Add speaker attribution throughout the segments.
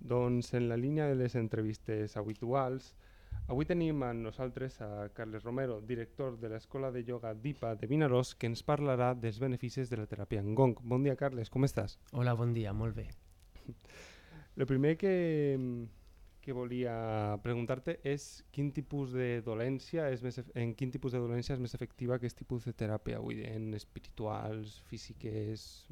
Speaker 1: Doncs en la línia de les entrevistes habituals, avui tenim amb nosaltres a Carles Romero, director de l'Escola de Ioga DIPA de Vinaròs, que ens parlarà dels beneficis de la teràpia en Gong. Bon dia, Carles, com estàs?
Speaker 2: Hola, bon dia, molt bé.
Speaker 1: El primer que volia preguntar-te és quin tipus de dolència en quin tipus de dolència és més efectiva aquest tipus de teràpia, vull dir, en espirituals, físiques...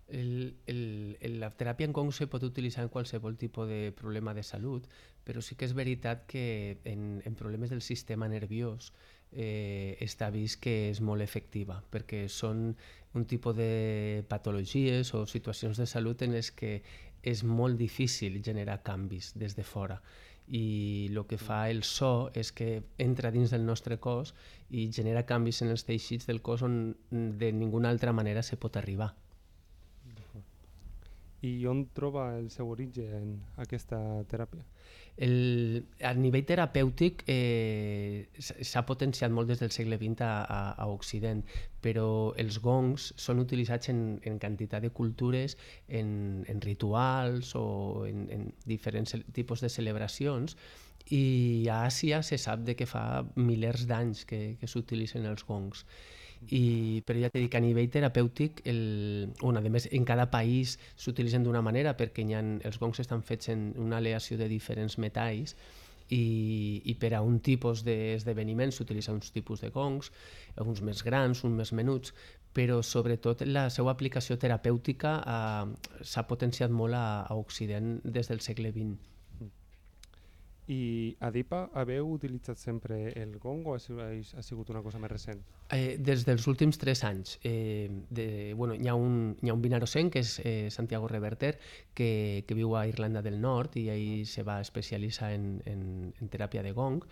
Speaker 2: La teràpia en Gong se pot utilitzar en qualsevol tipus de problema de salut, però sí que és veritat que en problemes del sistema nerviós està vist que és molt efectiva, perquè són un tipus de patologies o situacions de salut en les que és molt difícil generar canvis des de fora, i el que fa el so és que entra dins del nostre cos i genera canvis en els teixits del cos on de ninguna altra manera se pot arribar.
Speaker 1: I on troba el seu origen aquesta teràpia?
Speaker 2: A nivell terapèutic s'ha potenciat molt des del segle XX a Occident, però els gongs són utilitzats en quantitat de cultures, en rituals o en diferents tipus de celebracions, i a Àsia se sap de que fa milers d'anys que s'utilitzen els gongs. Però ja t'he dit que a nivell terapèutic a més en cada país s'utilitzen d'una manera, perquè els gongs estan fets en una aleació de diferents metalls, i per a un tipus d'esdeveniment s'utilitzen uns tipus de gongs, uns més grans, uns més menuts, però sobretot la seva aplicació terapèutica s'ha potenciat molt a Occident des del segle XX.
Speaker 1: I a DIPA haveu utilitzat sempre el gong o ha sigut una cosa més recent?
Speaker 2: Des dels últims 3 anys. Hi ha un vinarossenc, que és Santiago Reverter, que viu a Irlanda del Nord, i ell se va especialitzar en teràpia de gong,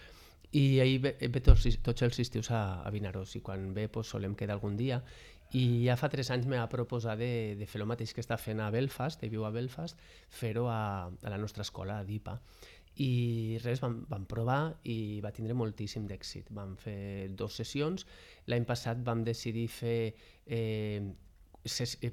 Speaker 2: i ell ve tots els estius a Vinaròs, i quan ve solem quedar algun dia, i ja fa 3 anys me va proposar de fer el mateix que està fent a Belfast, ell viu a Belfast, fer-ho a la nostra escola, a DIPA. I res, vam provar i va tindre moltíssim d'èxit. Vam fer 2 sessions. L'any passat vam decidir fer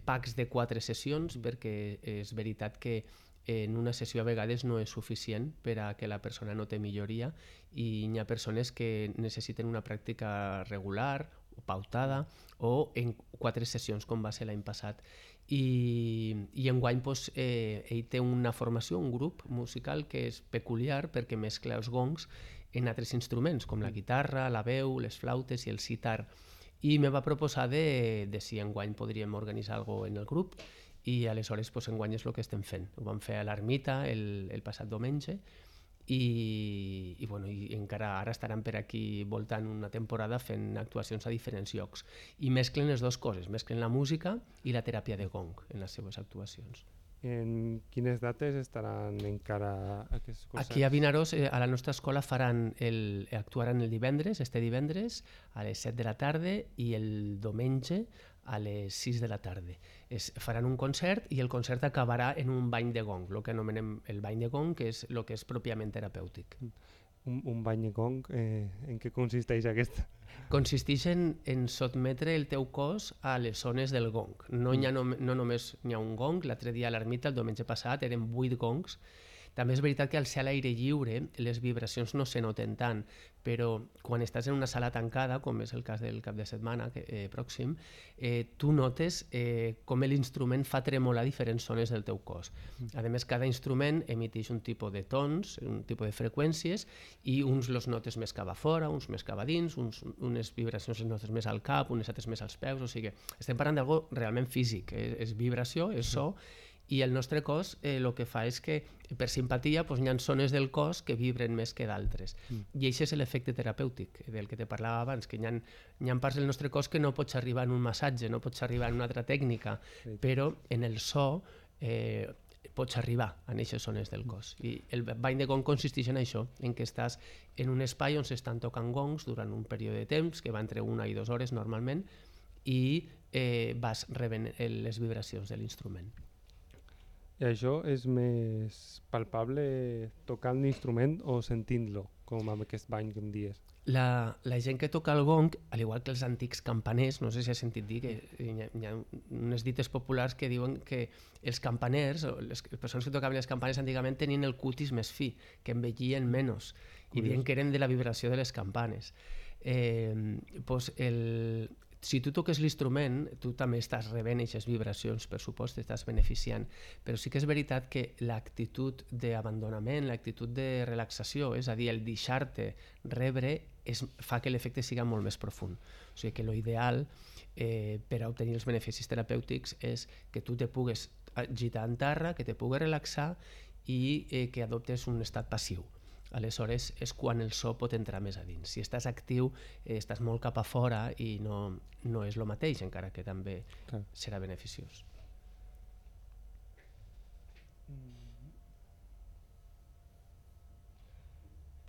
Speaker 2: packs de 4 sessions, perquè és veritat que en una sessió a vegades no és suficient per a que la persona note milloria, i hi ha persones que necessiten una pràctica regular o pautada, o en 4 sessions, com va ser l'any passat. I enguany ell té una formació, un grup musical que és peculiar, perquè mescla els gongs en altres instruments, com la guitarra, la veu, les flautes i el sitar. I me va proposar de si enguany podríem organitzar alguna cosa en el grup, i aleshores enguany és el que estem fent. Ho vam fer a l'Ermita el passat diumenge, i encara ara estaran per aquí voltant una temporada fent actuacions a diferents llocs, i mesclen les dues coses, mesclen la música i la teràpia de gong en les seves actuacions.
Speaker 1: En quines dates estaran encara aquests concerts?
Speaker 2: Aquí a Vinaròs, a la nostra escola, actuaran el divendres, este divendres a les 7 de la tarda, i el diumenge a les 6 de la tarda. Faran un concert, i el concert acabarà en un bany de gong, el que anomenem el bany de gong, que és el que és pròpiament terapèutic.
Speaker 1: Un bany de gong, en què consisteix aquest?
Speaker 2: Consisteix en sotmetre el teu cos a les zones del gong. No només hi ha un gong. L'altre dia a l'Ermita, el diumenge passat, eren 8 gongs. També és veritat que al ser a l'aire lliure les vibracions no se noten tant, però quan estàs en una sala tancada, com és el cas del cap de setmana pròxim, tu notes com l'instrument fa tremolar diferents zones del teu cos. A més, cada instrument emiteix un tipus de tons, un tipus de freqüències, i uns los notes més cap a fora, uns més cap a dins, unes vibracions les notes més al cap, unes altres més als peus. O sigui, estem parlant d'algo realment físic, és vibració, és so, i el nostre cos el que fa és que per simpatia hi ha zones del cos que vibren més que d'altres, i això és l'efecte terapèutic del que te parlava abans, que hi ha parts del nostre cos que no pots arribar en un massatge, no pots arribar en una altra tècnica, però en el so pots arribar a aquestes zones del cos. I el bany de gong consisteix en això, en què estàs en un espai on s'estan tocant gongs durant un període de temps que va entre 1 i 2 hores normalment, i vas rebent les vibracions de l'instrument.
Speaker 1: I això és més palpable tocant l'instrument o sentint-lo, com amb aquest bany que em dies?
Speaker 2: La gent que toca el gong, al igual que els antics campaners, no sé si has sentit dir que hi ha unes dites populars que diuen que els campaners, o les persones que tocaven les campanes antigament tenien el cutis més fi, que envellien menys, i diuen que eren de la vibració de les campanes. Pues si tu toques l'instrument, tu també estàs rebent aquestes vibracions, per supost, t'estàs beneficiant, però sí que és veritat que l'actitud d'abandonament, l'actitud de relaxació, és a dir, el deixar-te rebre, fa que l'efecte siga molt més profund. O sigui que l'ideal per a obtenir els beneficis terapèutics és que tu te pugues agitar en terra, que te pugues relaxar i que adoptes un estat passiu. Aleshores és quan el so pot entrar més a dins. Si estàs actiu, estàs molt cap a fora i no és el mateix, encara que també serà beneficiós.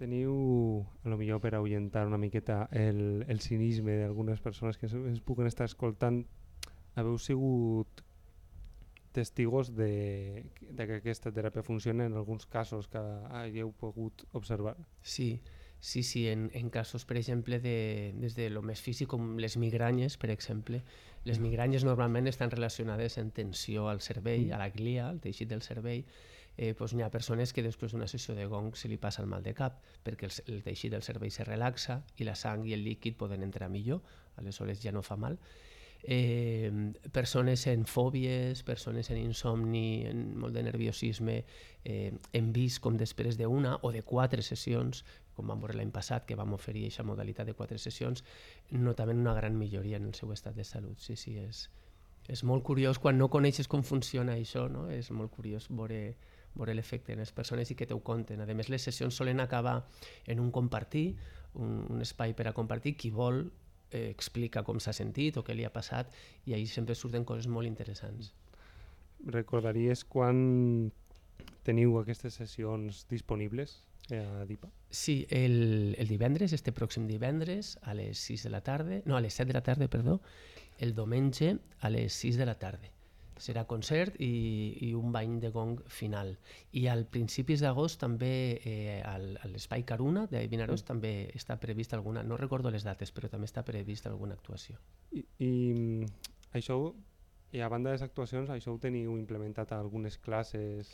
Speaker 1: Teniu, a lo millor per ahuyentar una miqueta el cinisme d'algunes persones que es puguen estar escoltant, haveu sigut testigos de que aquesta teràpia funciona en alguns casos que hagueu pogut observar?
Speaker 2: Sí, en casos, per exemple, des de lo més físic, com les migranyes, per exemple. Les migranyes normalment estan relacionades amb tensió al cervell, a la glia, al teixit del cervell. Doncs hi ha persones que després d'una sessió de gong se li passa el mal de cap, perquè el teixit del cervell se relaxa i la sang i el líquid poden entrar millor, aleshores ja no fa mal. Persones en fòbies, persones en insomni, en molt de nerviosisme, hem vist com després d'una o de 4 sessions, com vam veure l'any passat, que vam oferir aquesta modalitat de 4 sessions, notaven una gran milloria en el seu estat de salut. Sí, és molt curiós quan no coneixes com funciona això, no? És molt curiós veure l'efecte en les persones i que t'ho conten. A més, les sessions solen acabar en un compartir, un espai per a compartir. Qui vol explica com s'ha sentit o què li ha passat i ahir sempre surten coses molt interessants.
Speaker 1: Recordaries quan teniu aquestes sessions disponibles a DIPA?
Speaker 2: Sí, el divendres, este pròxim divendres a les 7 de la tarda, el diumenge a les 6 de la tarda. Serà concert i un bany de gong final. I al principis d'agost també a l'Espai Caruna de Vinaròs també està prevista alguna, no recordo les dates, però també està prevista alguna actuació.
Speaker 1: I això, i a banda de les actuacions, això ho teniu implementat a algunes classes?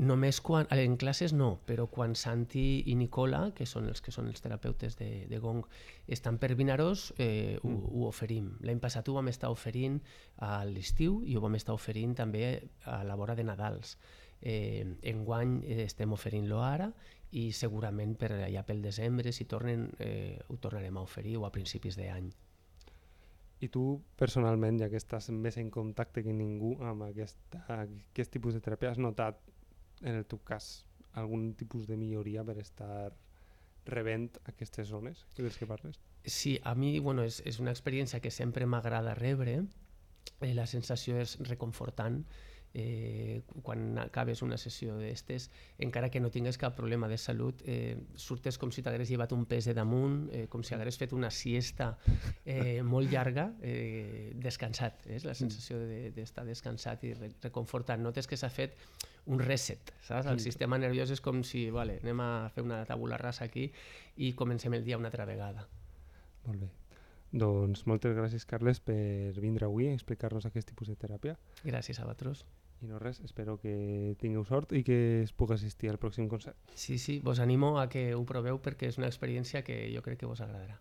Speaker 2: Només en classes no, però quan Santi i Nicola, que són els terapeutes de gong, estan per Vinaròs, ho oferim. L'any passat ho vam estar oferint a l'estiu i ho vam estar oferint també a la vora de Nadals. Enguany estem oferint-lo ara i segurament per allà pel desembre, si tornen, ho tornarem a oferir o a principis d'any.
Speaker 1: I tu, personalment, ja que estàs més en contacte que ningú amb aquest tipus de teràpia, has notat, en el teu cas, algun tipus de milloria per estar rebent aquestes zones dels que parles?
Speaker 2: Sí, a mi és una experiència que sempre m'agrada rebre. La sensació és reconfortant. Quan acabes una sessió d'estes, encara que no tingues cap problema de salut, surtes com si t'hagués llevat un pes de damunt, com si hagués fet una siesta molt llarga, descansat. És la sensació d'estar descansat i reconfortant. Notes que s'ha fet un reset, saps? El sistema nerviós és com si anem a fer una tabula rasa aquí i comencem el dia una altra vegada.
Speaker 1: Molt bé. Doncs moltes gràcies, Carles, per vindre avui a explicar-nos aquest tipus de teràpia.
Speaker 2: Gràcies a vosaltres.
Speaker 1: I no res, espero que tingueu sort i que es pugui assistir al pròxim concert.
Speaker 2: Sí, vos animo a que ho proveu perquè és una experiència que jo crec que vos agradarà.